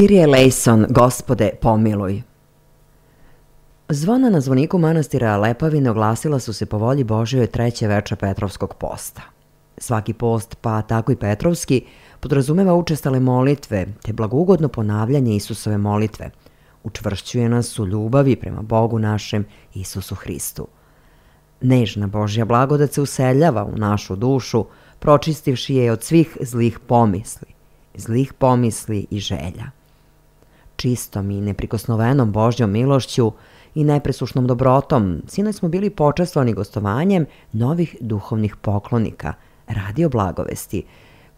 Kyrie eleison, Gospode, pomiluj. Zvona na zvoniku manastira Lepavine oglasila su se po volji Božjoj treće veče Petrovskog posta. Svaki post, pa tako i Petrovski, podrazumeva učestale molitve te blagougodno ponavljanje Isusove molitve. Učvršćuje nas u ljubavi prema Bogu našem Isusu Hristu. Nežna Božja blagodat se useljava u našu dušu, pročistivši je od svih zlih pomisli i želja. Čistom i neprikosnovenom Božjom milošću i nepresušnom dobrotom sinoć smo bili počastvovani gostovanjem novih duhovnih poklonika, Radio Blagovesti,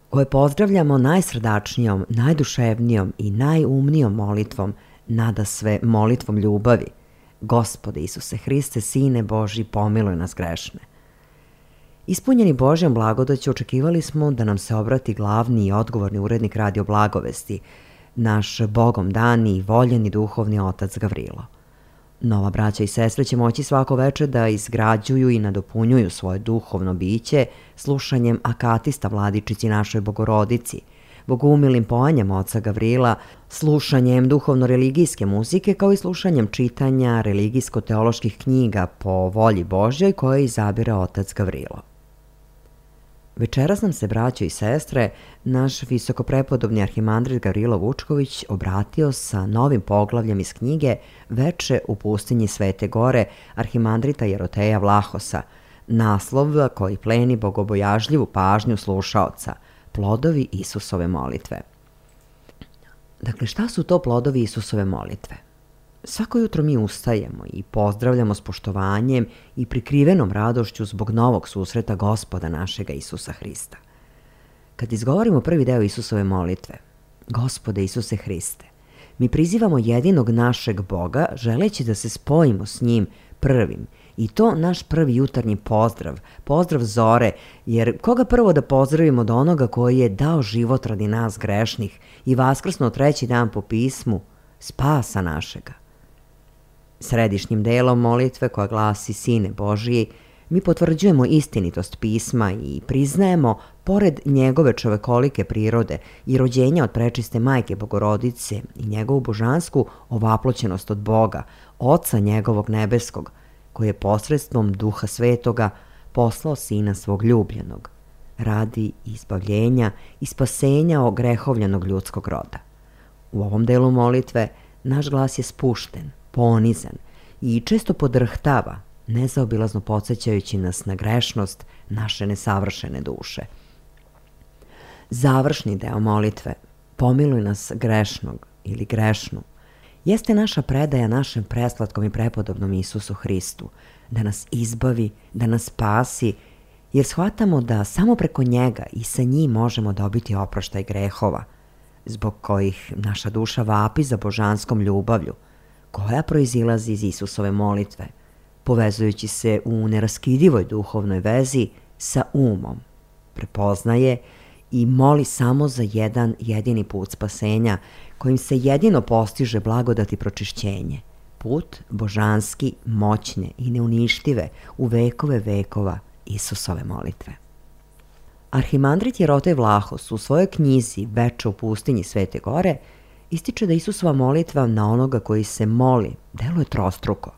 koje pozdravljamo najsrdačnijom, najduševnijom i najumnijom molitvom, nadasve molitvom ljubavi. Gospode Isuse Hriste, Sine Božji, pomiluj nas grešne. Ispunjeni Božjom blagodaću očekivali smo da nam se obrati glavni i odgovorni urednik Radio Blagovesti, naš Bogom dani i voljeni duhovni otac Gavrilo. Nova braća i sestre će moći svako veče da izgrađuju i nadopunjuju svoje duhovno biće slušanjem akatista Vladičici našoj Bogorodici, bogumilim poanjem oca Gavrila, slušanjem duhovno-religijske muzike kao i slušanjem čitanja religijsko-teoloških knjiga po volji Božjoj koje izabire otac Gavrilo. Večeras nam se, braćo i sestre, naš visokoprepodobni arhimandrit Gavrilo Vučković obratio sa novim poglavljem iz knjige Veče u pustinji Svete Gore arhimandrita Jeroteja Vlahosa, naslov koji pleni bogobojažljivu pažnju slušaoca, plodovi Isusove molitve. Dakle, šta su to plodovi Isusove molitve? Svako jutro mi ustajemo i pozdravljamo s poštovanjem i prikrivenom radošću zbog novog susreta Gospoda našega Isusa Hrista. Kad izgovorimo prvi deo Isusove molitve, Gospode Isuse Hriste, mi prizivamo jedinog našeg Boga želeći da se spojimo s njim prvim, i to naš prvi jutarnji pozdrav zore, jer koga prvo da pozdravimo od onoga koji je dao život radi nas grešnih i vaskrsno treći dan po pismu, spasa našega. Središnjim delom molitve koja glasi Sine Božiji, mi potvrđujemo istinitost pisma i priznajemo, pored njegove čovekolike prirode i rođenja od prečiste majke Bogorodice i njegovu božansku ovaploćenost od Boga, Oca njegovog nebeskog, koji je posredstvom Duha Svetoga poslao Sina svog ljubljenog, radi izbavljenja i spasenja ogrehovljenog ljudskog roda. U ovom delu molitve naš glas je spušten, ponizan i često podrhtava, nezaobilazno podsjećajući nas na grešnost naše nesavršene duše. Završni deo molitve, pomiluj nas grešnog ili grešnu, jeste naša predaja našem preslatkom i prepodobnom Isusu Hristu, da nas izbavi, da nas spasi, jer shvatamo da samo preko njega i sa njim možemo dobiti oproštaj grehova, zbog kojih naša duša vapi za božanskom ljubavlju, koja proizilazi iz Isusove molitve, povezujući se u neraskidivoj duhovnoj vezi sa umom, prepoznaje i moli samo za jedan jedini put spasenja, kojim se jedino postiže blagodat i pročišćenje, put božanski, moćne i neuništive u vekove vekova Isusove molitve. Arhimandrit Jerotej Vlahos u svojoj knjizi Veče u pustinji Svete Gore ističe da Isusova molitva na onoga koji se moli deluje trostruko,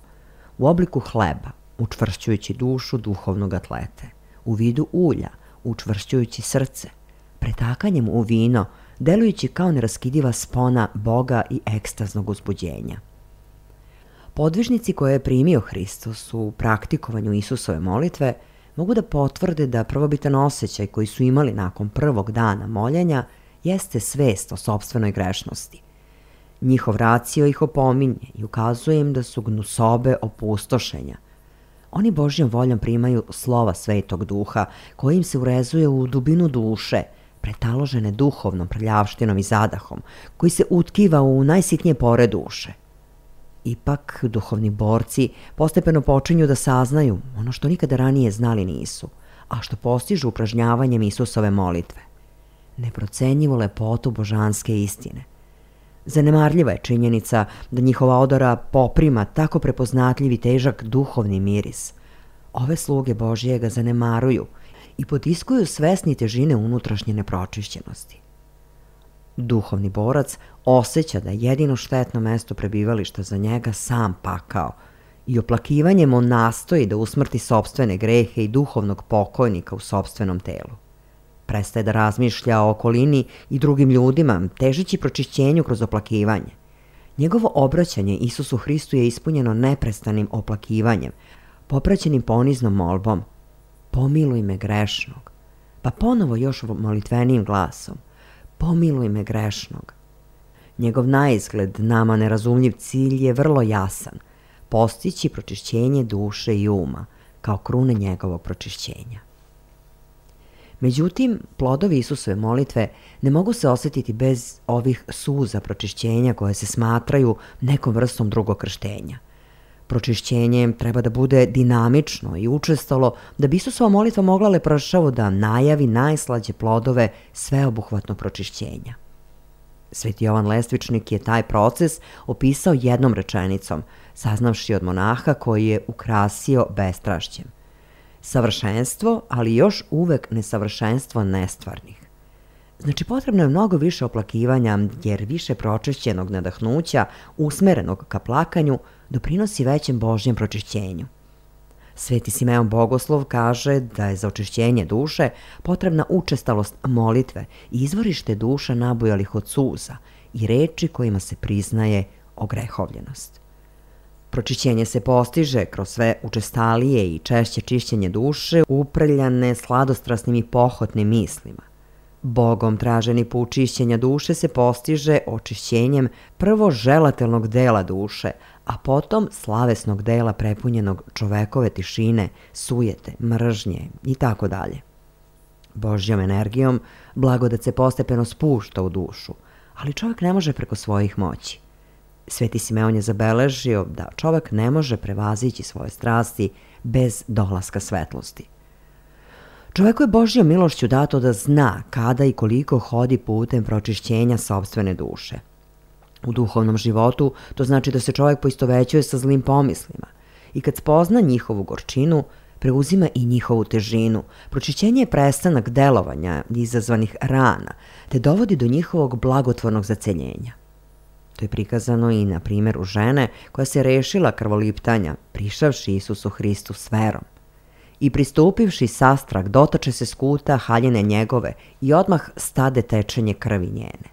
u obliku hleba, učvršćujući dušu duhovnog atlete, u vidu ulja, učvršćujući srce, pretakanjem u vino, delujući kao neraskidiva spona Boga i ekstaznog uzbuđenja. Podvižnici koje je primio Hristos u praktikovanju Isusove molitve mogu da potvrde da prvobitan osjećaj koji su imali nakon prvog dana moljenja jeste svest o sopstvenoj grešnosti. Njihov racio ih opominje i ukazuje im da su gnusobe opustošenja. Oni Božjom voljom primaju slova Svetog Duha koji im se urezuje u dubinu duše, pretaložene duhovnom prljavštinom i zadahom, koji se utkiva u najsitnije pore duše. Ipak, duhovni borci postepeno počinju da saznaju ono što nikada ranije znali nisu, a što postižu upražnjavanjem Isusove molitve. Neprocenjivu lepotu božanske istine. Zanemarljiva je činjenica da njihova odora poprima tako prepoznatljiv i težak duhovni miris. Ove sluge Božije ga zanemaruju i potiskuju svesni težine unutrašnje nepročišćenosti. Duhovni borac osjeća da je jedino štetno mesto prebivališta za njega sam pakao i oplakivanjem on nastoji da usmrti sopstvene grehe i duhovnog pokojnika u sopstvenom telu. Prestaje da razmišlja o okolini i drugim ljudima, težeći pročišćenju kroz oplakivanje. Njegovo obraćanje Isusu Hristu je ispunjeno neprestanim oplakivanjem, popraćenim poniznom molbom: pomiluj me grešnog. Pa ponovo još molitvenijim glasom: pomiluj me grešnog. Njegov naizgled nama nerazumljiv cilj je vrlo jasan: postići pročišćenje duše i uma, kao krune njegovog pročišćenja. Međutim, plodovi Isusove molitve ne mogu se osjetiti bez ovih suza pročišćenja koje se smatraju nekom vrstom drugog krštenja. Pročišćenje treba da bude dinamično i učestalo da bi Isusova molitva mogla lepršavo da najavi najslađe plodove sveobuhvatnog pročišćenja. Sveti Jovan Lestvičnik je taj proces opisao jednom rečenicom, saznavši od monaha koji je ukrasio bestrašćem: savršenstvo, ali još uvek nesavršenstvo nestvarnih. Znači, potrebno je mnogo više oplakivanja, jer više pročišćenog nadahnuća, usmerenog ka plakanju, doprinosi većem Božjem pročišćenju. Sveti Simeon Bogoslov kaže da je za očišćenje duše potrebna učestalost molitve i izvorište duša nabujalih od suza i reči kojima se priznaje ogrehovljenost. Pročišćenje se postiže kroz sve učestalije i češće čišćenje duše, uprljane sladostrasnim i pohotnim mislima. Bogom traženi put čišćenja duše se postiže očišćenjem prvo želatelnog dela duše, a potom slavesnog dela prepunjenog čovekove tišine, sujete, mržnje i tako dalje. Božjom energijom blagodat se postepeno spušta u dušu, ali čovjek ne može preko svojih moći. Sveti Simeon je zabeležio da čovjek ne može prevazići svoje strasti bez dolaska svetlosti. Čovjeku je Božjom milošću dato da zna kada i koliko hodi putem pročišćenja sopstvene duše. U duhovnom životu to znači da se čovjek poistovećuje sa zlim pomislima i kad spozna njihovu gorčinu, preuzima i njihovu težinu. Pročišćenje je prestanak delovanja izazvanih rana, te dovodi do njihovog blagotvornog zaceljenja. To je prikazano i na primjeru žene koja se rešila krvoliptanja, prišavši Isusu Hristu s verom. I pristupivši sastrah, dotače se skuta haljine njegove i odmah stade tečenje krvi njene.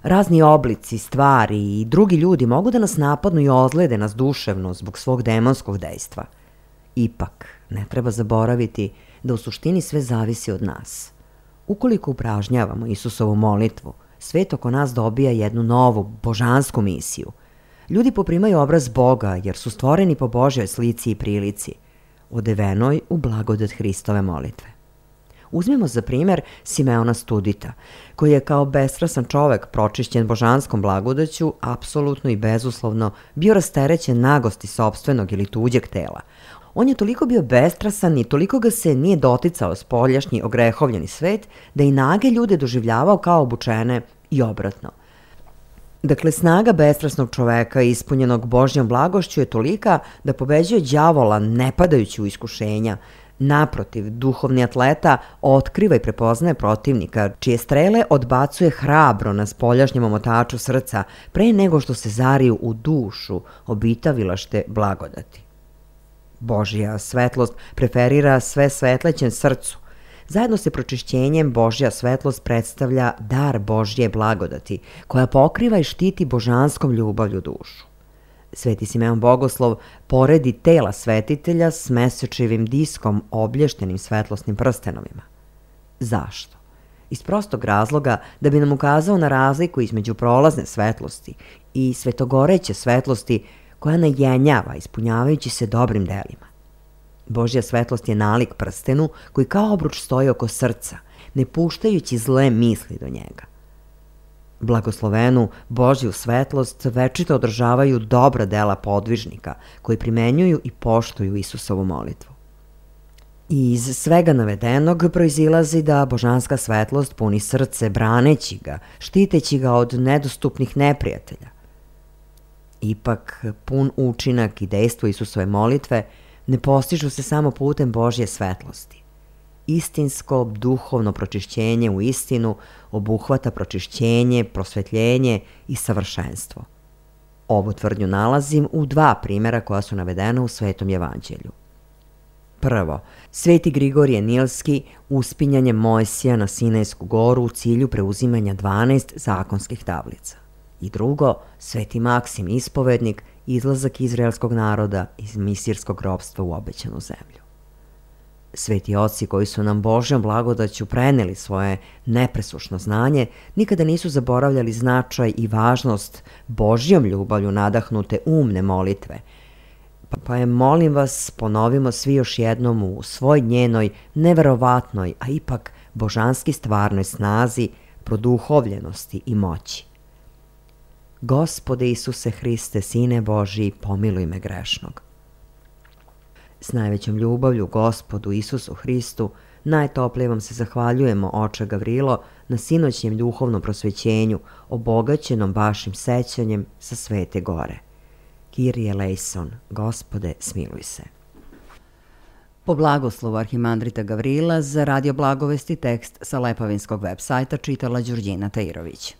Razni oblici, stvari i drugi ljudi mogu da nas napadnu i ozlede nas duševno zbog svog demonskog dejstva. Ipak, ne treba zaboraviti da u suštini sve zavisi od nas. Ukoliko upražnjavamo Isusovu molitvu, svet oko nas dobija jednu novu, božansku misiju. Ljudi poprimaju obraz Boga jer su stvoreni po Božjoj slici i prilici, odevenoj u blagodat Hristove molitve. Uzmimo za primjer Simeona Studita, koji je kao bestrasan čovek pročišćen božanskom blagodaću, apsolutno i bezuslovno bio rasterećen nagosti sopstvenog ili tuđeg tela. On je toliko bio bestrasan i toliko ga se nije doticao spoljašnji ogrehovljeni svet, da i nage ljude doživljavao kao obučene i obratno. Dakle, snaga bestrasnog čoveka ispunjenog Božjom blagošću je tolika da pobeđuje đavola ne padajući u iskušenja. Naprotiv, duhovni atleta otkriva i prepoznaje protivnika, čije strele odbacuje hrabro na spoljašnjem omotaču srca pre nego što se zariju u dušu obitavilašte blagodati. Božja svetlost preferira sve svetlećem srcu. Zajedno sa pročišćenjem Božja svetlost predstavlja dar Božje blagodati, koja pokriva i štiti božanskom ljubavlju dušu. Sveti Simeon Bogoslov poredi tela svetitelja s mesečevim diskom oblještenim svetlosnim prstenovima. Zašto? Iz prostog razloga da bi nam ukazao na razliku između prolazne svetlosti i svetogoreće svetlosti koja najenjava ispunjavajući se dobrim delima. Božja svetlost je nalik prstenu koji kao obruč stoji oko srca, ne puštajući zle misli do njega. Blagoslovenu Božju svetlost večito održavaju dobra dela podvižnika koji primenjuju i poštuju Isusovu molitvu. I iz svega navedenog proizilazi da božanska svetlost puni srce braneći ga, štiteći ga od nedostupnih neprijatelja. Ipak, pun učinak i dejstvo Isusove molitve ne postižu se samo putem Božje svetlosti. istinsko duhovno pročišćenje u istinu obuhvata pročišćenje, prosvetljenje i savršenstvo. Ovu tvrdnju nalazim u 2 primjera koja su navedena u Svetom evanđelju. Prvo, Sveti Grigorije Nilski uspinjanje Mojsija na Sinajsku goru u cilju preuzimanja 12 zakonskih tablica. I drugo, Sveti Maksim Ispovednik izlazak izraelskog naroda iz misirskog ropstva u obećanu zemlju. Sveti oci koji su nam Božjom blagodaću preneli svoje nepresušno znanje nikada nisu zaboravljali značaj i važnost Božjom ljubavlju nadahnute umne molitve, pa je, molim vas, ponovimo svi još jednom u svoj njenoj neverovatnoj, a ipak božanski stvarnoj snazi, produhovljenosti i moći. Gospode Isuse Hriste, Sine Božji, pomiluj me grešnog. S najvećom ljubavlju Gospodu Isusu Hristu najtoplije vam se zahvaljujemo, oče Gavrilo, na sinoćnjem duhovnom prosvećenju, obogaćenom vašim sećanjem sa Svete Gore. Kyrie eleison, Gospode, smiluj se. Po blagoslovu arhimandrita Gavrila za Radio Blagovesti tekst sa Lepavinskog web sajta čitala Đurđina Tajirović.